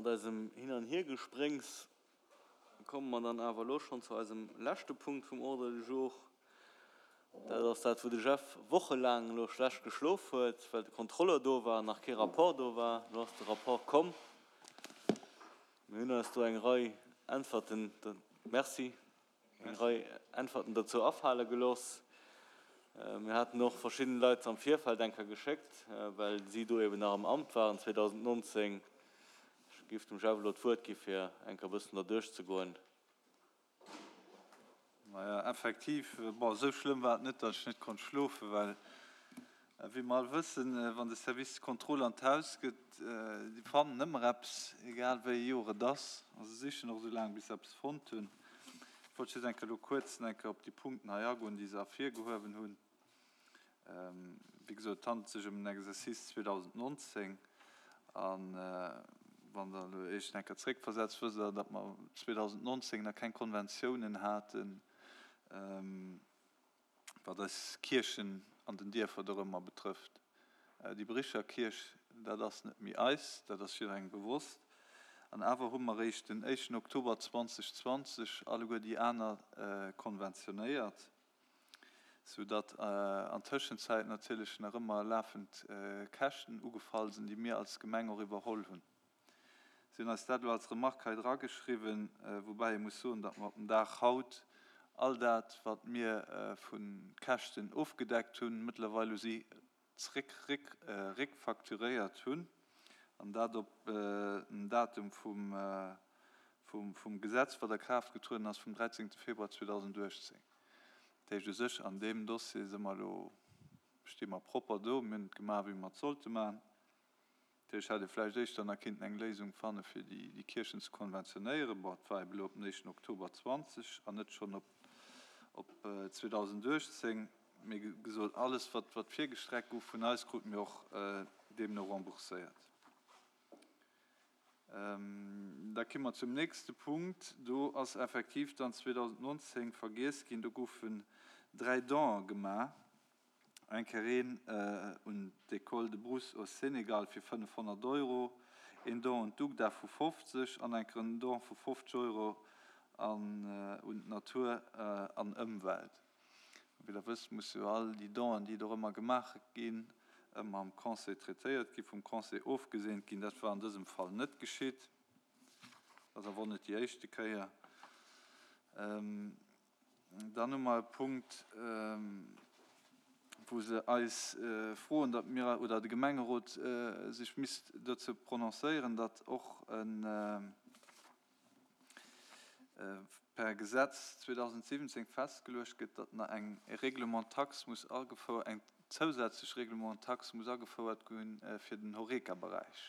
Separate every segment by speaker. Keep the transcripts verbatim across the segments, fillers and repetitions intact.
Speaker 1: Mat eisem Hin an Hiergespréngs komme mer dann awer elo schonn zu eisem leschte Punkt vum Ordre du jour. Dat ass dat, wou de Jeff wochelaang elo schlecht geschlof huet, well de Contrôleur do war an nach kee Rapport do war. Elo ass de Rapport komm. Mir hunn eis do eng Rei Äntwerten, Merci, eng Rei Äntwerten dozou afale gelooss. Mir haten och verschidden Leit am Virfeld eng Kéier geschéckt, well si do eben nach am Amt waren zweedausendnonzéng. Ech géif dem Jeff elo d'Wuert gi fir eng Kéier e bëssen derduerch ze goen.
Speaker 2: Maja, effektiv, bon, esou schlëmm war et net, datt ech net konnt schlofen, well wéi mer all wëssen, wann de Service de contrôle an d'Haus gëtt, déi fannen ëmmer eppes, egal wéi ee Joer et ass, a se sichen och esou laang, bis se eppes fonnt hunn. Ech wollt just eng Kéier elo kuerz eng Kéier op déi Punkten hei agoen, déi se ervirgehuewen hunn. Wéi gesot, et handelt sech ëm den Exercice zweedausendnonzéng. A wann Der elo Iech eng Kéier zréckversetzt, wësst Der, datt mer zweedausendnonzéng nach keng Konventiounen haten, wat eis Kierchen an den Dierfer dorëmmer betrëfft. Déi Bericher Kierch, dat ass net méi eis, dat ass jidderengem bewosst. An awer hu mer eréischt den éischten Oktober zweedausendzwanzeg alleguer déi aner konventionéiert, soudatt an Tëschenzäit natierlech nach ëmmer lafend Käschten ugefall sinn, déi mir als Gemeng och iwwerholl hunn. Si hunn eis dat elo als Remarque hei drageschriwwen, woubäi ee muss soen, datt mer op den Dag haut all dat, wat mir vu Käschten ofgedeckt hunn, mëttlerweil u si zréck réckfacturéiert hunn, an dat op den Datum vum Gesetz, wat a Kraaft getrueden ass vum dräizéngte Februar zweedausendachtzéng. Dat heescht u sech, an deem Dossier si mer elo, sti mer propper do, mir hunn et gemaach, wéi mer et sollte maachen. Dat heescht, hätt ee vläicht éischter nach kinnten eng Léisung fanne fir déi Kierchen ze konventionéieren. Bon, et war ebe elo op den éischten Oktober zwanzeg an net schonn op op zweedausendachtzéng. Mee wéi gesot, alles wat wat virgestreckt gouf vun eis, krute mir och deemno rembourséiert. Da ki mer zum nächste Punkt. Do ass effektiv dann zweedausendnonzéng vergiess ginn, do goufen dräi Donen gemaach. Eng Kéier een un d'École de Brousse au Sénégal fir fënnefhonnert Euro, een Don un d'UGDA vu fofzeg an eng Kéier en Don vu fofzeg Euro an un d'Natur an Ëmwelt. Wéi Der wësst, musse jo all déi Donen, déi dorëmmer gemaach ginn, ëmmer am Conseil traitéiert ginn, vum Conseil ofgeseent ginn. Dat war an dësem Fall net geschitt. Dat ass awer och net déi éischte Kéier. Dann hu mer e Punkt, wou se eis froen, datt mir oder de Gemengerot sech misst dozou prononcéieren, datt och per Gesetz zweedausendsiwwenzéng festgeluecht gëtt, datt nach eng Règlement-taxe muss agefouert, eng zousätzlech Règlement-taxe muss agefouert gi fir den Horeca-Beräich.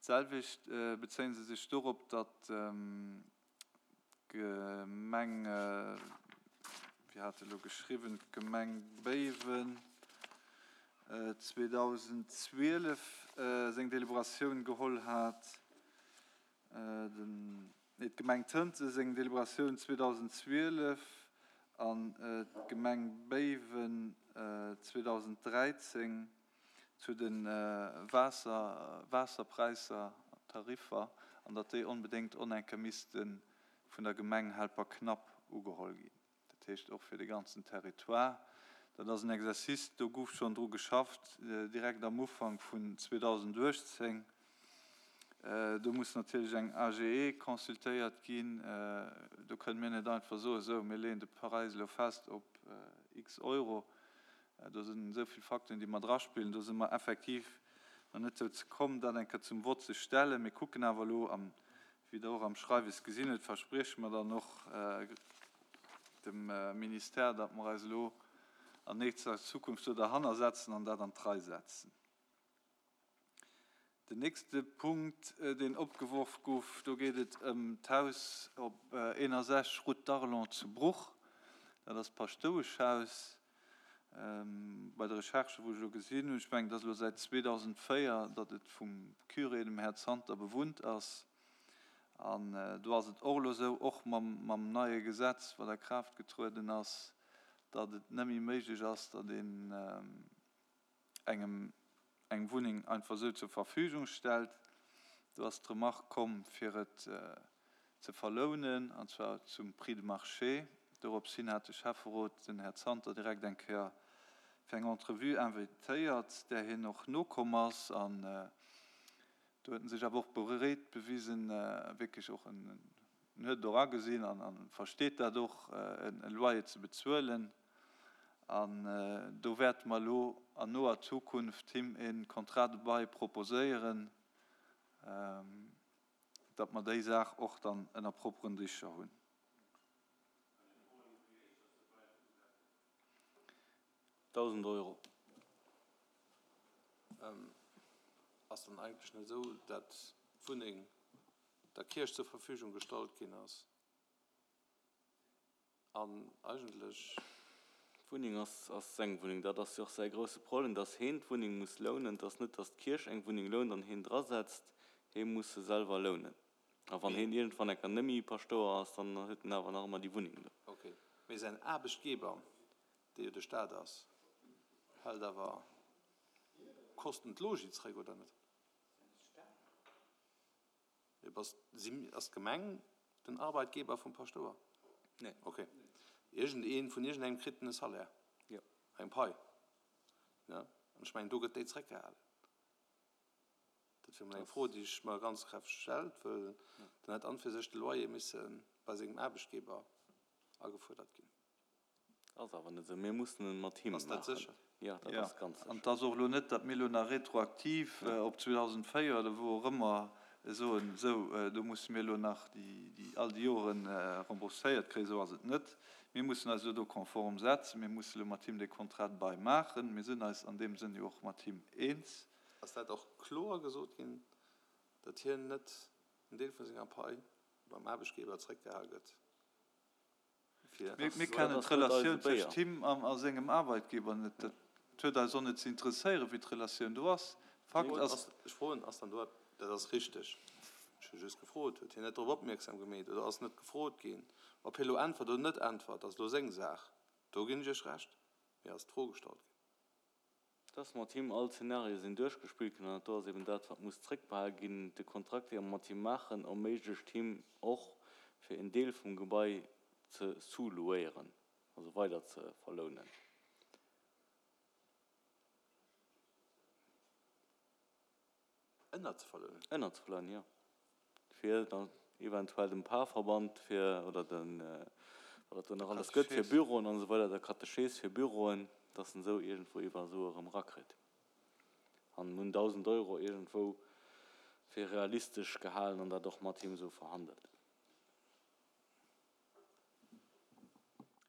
Speaker 2: D'selwecht bezéie se sech dorop, datt d'Gemeng, wéi hat elo geschriwwen, d'Gemeng Béiwen zweedausendzwielef seng Deliberatioun geholl hat, nee, d'Gemeng Tënten seng Deliberatioun zweedausendzwielef an d'Gemeng Béiwen zweedausenddräizéng zu de Waasser, Waasserpräisser, Tariffer, an datt déi onbedéngt onenke misste vun der Gemeng Helperknapp ugeholl ginn. Dat heescht och fir de ganzen Territoire. Dat ass en Exercice, do gouf schonn dru geschafft direkt am Ufank vun zweedausenduechtzéng. Do muss natierlech eng A G E consultéiert ginn. Do kënne mir net einfach soen, esou, mir leeën de Präis elo fest op x Euro. Do sinn esou vill Facteuren, déi mat eraspillen. Do si mer effektiv nach net dozou komm, dat eng Kéier zum Vott ze stellen. Mir kucken awer elo, an wéi Der och am Schreiwes gesinn hutt, versprieche mer dann och dem Ministère, datt mer eis elo an nächster Zukunft do derhanner setzen an dat an d'Rei setzen. Den nächste Punkt, deen opgeworf gouf, do geet et ëm d'Haus op eenundsechzeg Route d'Arlon zu Bruch. Dat ass d'Paschtoueschhaus. Bei de Recherchen, wou ech elo gesinn hunn, ech mengen, et ass elo säit zweedausendvéier, datt et vum Curé, dem Här Zanter, bewunnt ass. An do ass et och elo esou, och mam neie Gesetz, wat a Kraaft getrueden ass, datt et net méi méiglech ass, datt een engem eng Wunneng einfach esou zur Verfügung stellt. Do ass d'Remark komm, fir et ze verlounen, an zwar zum Prix de marché. Dorops hin hat de Schäfferot den Här Zanter direkt eng Kéier fir eng Entrevue invitéiert, där hien och nokomm ass. An do huet en sech awer och bereet bewisen, wierklech och en, en huet et och agesinn an a versteet dat och, e Loyer ze bezuelen. An do wäerte mer elo an noer Zukunft him e Contrat de bail proposéieren, datt mer déi Saach och dann ënner propperen Dicher hunn.
Speaker 1: Dausend Euro.
Speaker 3: Ass dann eigentlech net esou, datt d'Wunneng der Kierch zur Verfügung gestallt ginn ass an eigentlech.
Speaker 1: D'Wunneng ass ass seng Wunneng. Dat ass jo och säi grousse Problem, datt heen d'Wunneng muss lounen. Et ass net, datt d'Kierch eng Wunneng lount an heen drasetzt. Hee muss se selwer lounen. A wann heen iergendwann eng Kéier net méi Paschtouer ass, dann huet en awer nach ëmmer déi Wunneng do.
Speaker 3: Ok. Mee säin Aarbechtgeber, dee jo de Staat ass, hält awer Kosten d'Logis zréck, oder net? Ass d'Gemeng den Arbeitgeber vum Paschtouer?
Speaker 1: Nee.
Speaker 3: Ok. Iergendeen, vun iergendengem kritt en e Salaire.
Speaker 1: Jo.
Speaker 3: Eng Pai. Ne? An ech mengen, do gëtt déi zréckgehalen. Dat wier mol eng Fro, déi ech mer ganz kräfteg stellt, wëll dann hätt an fir sech de Loyer misse bei sengem Aarbechtgeber agefuerdert ginn.
Speaker 1: Ass awer net esou. Mir mussen en mat him
Speaker 3: Ass dat
Speaker 1: maachen.
Speaker 3: sécher?
Speaker 1: Jo, dat
Speaker 2: Jo,
Speaker 1: ass ganz
Speaker 2: an
Speaker 1: sécher.
Speaker 2: et ass och elo net, datt mir elo nach retroaktiv op zweedausendvéier oder wou och ëmmer soen, esou, do musse mir elo nach déi all déi Jore rembourséiert kréien. Esou ass et net. Mir mussen eis elo do konform setzen. Mir musse elo mat him dee Contrat de bail maachen. Mir sinn eis an deem Sënn jo och mat him eens.
Speaker 3: Ass dat och kloer gesot ginn, datt hien net en Deel vu senger Pai beim Aarbechtgeber zréckgehal gëtt? Fir
Speaker 2: Mir, mir
Speaker 1: Dat
Speaker 2: kennen
Speaker 1: ass net eise
Speaker 2: d'Relatioun
Speaker 1: Béier.
Speaker 2: tëscht him a, a sengem Arbeitgeber net. Dat huet eis och net ze interesséieren, wéi d'Relatioun do ass. Fakt ass.
Speaker 3: Ass, ech froen, ass dann do, dat ass richteg, ech hu just gefrot, huet hien net drop opmierksam gemeet oder ass net gefrot ginn? Ob hie lo äntwert oder net äntwert, ass lo seng Saach, do ginn ech Iech Recht, mee ass d'Fro gestallt ginn.
Speaker 1: Dass mat him all Zenarie sinn duerchgespillt ginn an dat do ass eben dat, wat muss zréckbehal ginn. De Kontrakt, dee mer mat him maachen, erméiglecht him och, fir en Deel vum Gebai ze sous-louéieren, also weider ze verlounen.
Speaker 3: Ënner ze verlounen?
Speaker 1: Ënner ze verlounen, jo. Fir dann eventuell dem Parverband fir, oder den, wat et do nach alles gëtt, fir Büroen an esou weider, der Katechees fir Büroen, dass en esou iergendwou iwwer Sue erëm erakritt. An mir hunn dausend Euro iergendwou fir realistesch gehalen an dat och mat him esou verhandelt.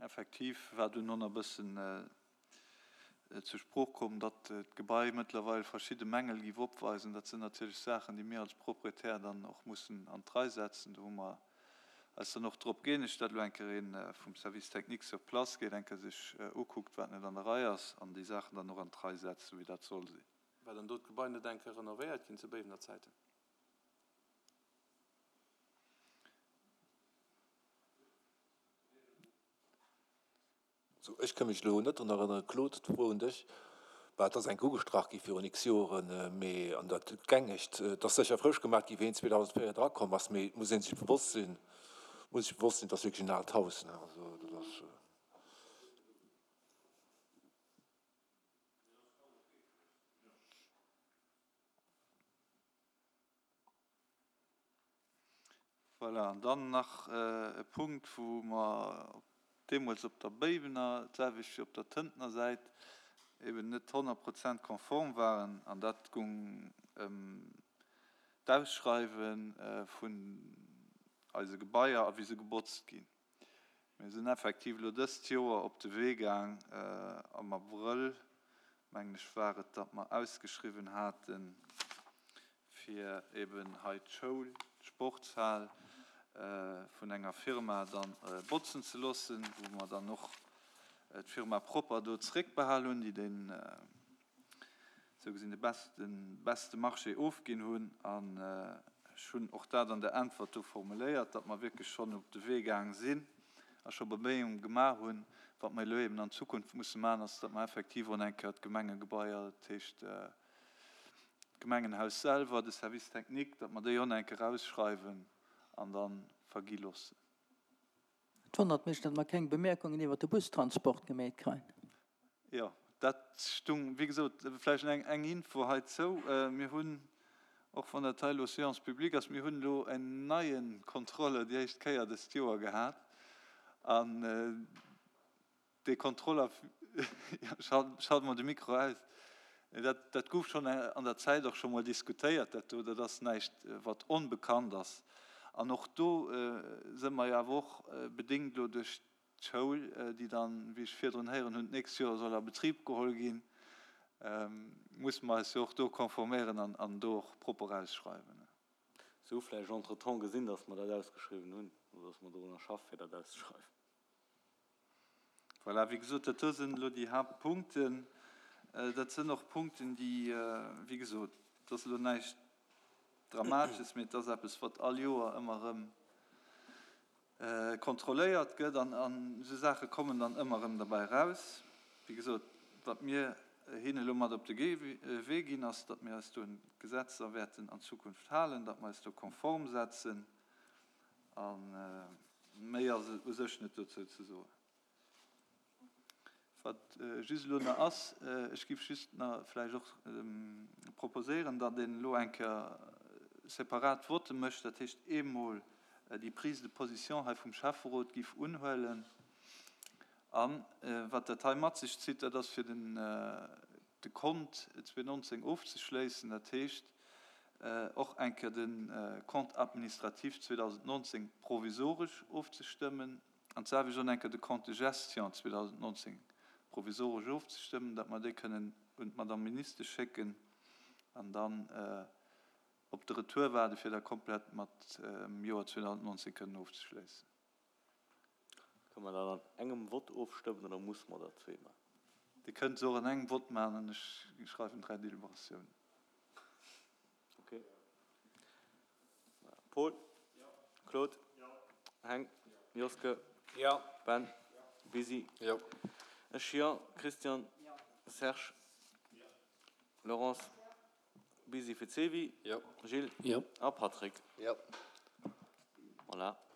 Speaker 2: Effektiv war dunn och nach e bëssen zur Sprooch komm, datt d'Gebai mëttlerweil verschidde Mängel géif opweisen. Dat sinn natierlech Saachen, déi mir als Proprietär dann och mussen an d'Rei setzen. Do hu mer eis dann och drop gëeenegt, datt elo eng Kéier ee vum Service technique sur place geet, eng Kéier sech ukuckt, wat net an der Rei ass, an déi Saachen dann och an d'Rei setzt, esou wéi dat soll sinn.
Speaker 3: War dann do d'Gebai net eng Kéier renovéiert ginn zu Béiwener Zäiten?
Speaker 4: Sou, ech ka mech elo net drun erënneren, Claude, d'Fro un dech, bah, et ass enk ugestrach gi virun x Joren, mee an dat gängegt, et ass sécher frësch gemaach gi wéi en zweedausendvéier drakomm ass, mee et muss ee sech bewosst sinn, muss sech bewosst sinn, et ass wierklech en aalt Haus, ne, also dat ass.
Speaker 2: Voilà, an dann nach e Punkt, wou mer deemools op der Béiwener, d'selwecht wéi op der Tëntener Säit, eben net honnert Prozent konform waren, an dat gung ëm d'Ausschreiwe vun eise Gebaier a wéi se gebotzt ginn. Mir sinn effektiv elo dëst Joer op de Wee gaang, am Abrëll, mengen ech war et, datt mer ausgeschriwwen haten, fir eben hei d'Schoul, d'Sportshal vun enger Firma dann botzen ze loossen, wou mer dann och d'Firma propper do zréckbehal hunn, déi den, sou gesinn, de besten, beste Marché ofginn hunn. An ech hunn och dat an der Äntwert do formuléiert, datt mer wierklech schonn op de Wee gaang sinn a scho Beméiunge gemaach hunn. Wat mer elo eben an Zukunft musse maachen, ass, datt mer effektiv och eng Kéier d'Gemengegebaier, dat heescht d'Gemengenhaus selwer, de Service technique, datt mer déi och nach eng Kéier ausschreiwen an da vergi loossen.
Speaker 5: Et wonnert mech, datt mer keng Bemerkungen iwwert de Bustransport gemeet kréien.
Speaker 2: Jo, dat stung, wéi gesot, vläicht eng, eng Info heizou. Mir hunn, och wann dat hei elo Séance publique ass, mir hunn elo en neie Contrôleur déi éischt Kéier dëst Joer gehat an dee Contrôleur, schalt mol de Mikro aus, dat, dat gouf schonn an der Zäit och scho mol diskutéiert, dat do, dat ass näischt, wat onbekannt ass. An och do si mer jo awer och bedéngt elo duerch d'Schoul, déi dann, wéi ech virdrun héieren hunn, d'nächst Joer soll a Betrib geholl ginn, musse mer eis jo och do konforméieren an do och propper ausschreiwen.
Speaker 1: Se hu vläicht entretemps gesinn, dass mer dat ausgeschriwwen hunn oder dass mer dorunner schaffen, fir dat auszeschreiwen.
Speaker 2: Voilà, wéi gesot, dat do sinn elo déi Haaptpunkten. Dat sinn och Punkten, déi, wéi gesot, et ass elo näischt Dramatesches, mee et ass eppes, wat all Joer ëmmer erëm kontrolléiert gëtt an esou Saache kommen dann ëmmer erëm derbäi eraus. Wéi gesot, wat mir hinne elo mat op de Wee ginn, ass, datt mir eis do un d'Gesetzer wäerten an Zukunft halen, datt mer eis do konform setzen. A méi ass u sech net dozou ze soen. Wat just elo nach ass, ech géif just nach vläicht och proposéieren, datt een elo eng Kéier separat Votte mécht, dat heescht eemol déi Prise de position hei vum Schäfferot géif unhuelen. A wat dat hei mat sech zitt, dat ass fir den de Kont zweetausendnonzéng ofzeschléissen, dat heescht och eng Kéier de Compte administratif zweedausendnonzéng provisoresch ofzestëmmen an d'selwecht och eng Kéier de Compte de gestion zweedausendnonzéng provisoresch ofzestëmmen, datt mer déi kënnen un d'Madame Ministesch schécken an dann op de Retour waarde fir da komplett mat dem Joer zweedausendnonzéng kënnen ofzeschléissen.
Speaker 1: Kënne mer dat an engem Vott ofstëmmen oder musse mer dat zwee maachen?
Speaker 2: Dir kënnt se och an engem Vott maachen an ech schreiwen dräi Deliberatiounen.
Speaker 1: Okay. Paul? Claude? Heng? Joske? Ben? Busy? Ech jo. Christian? Serge? Laurence? Busy fir d'Sylvie? Gilles? A Patrick? Voilà.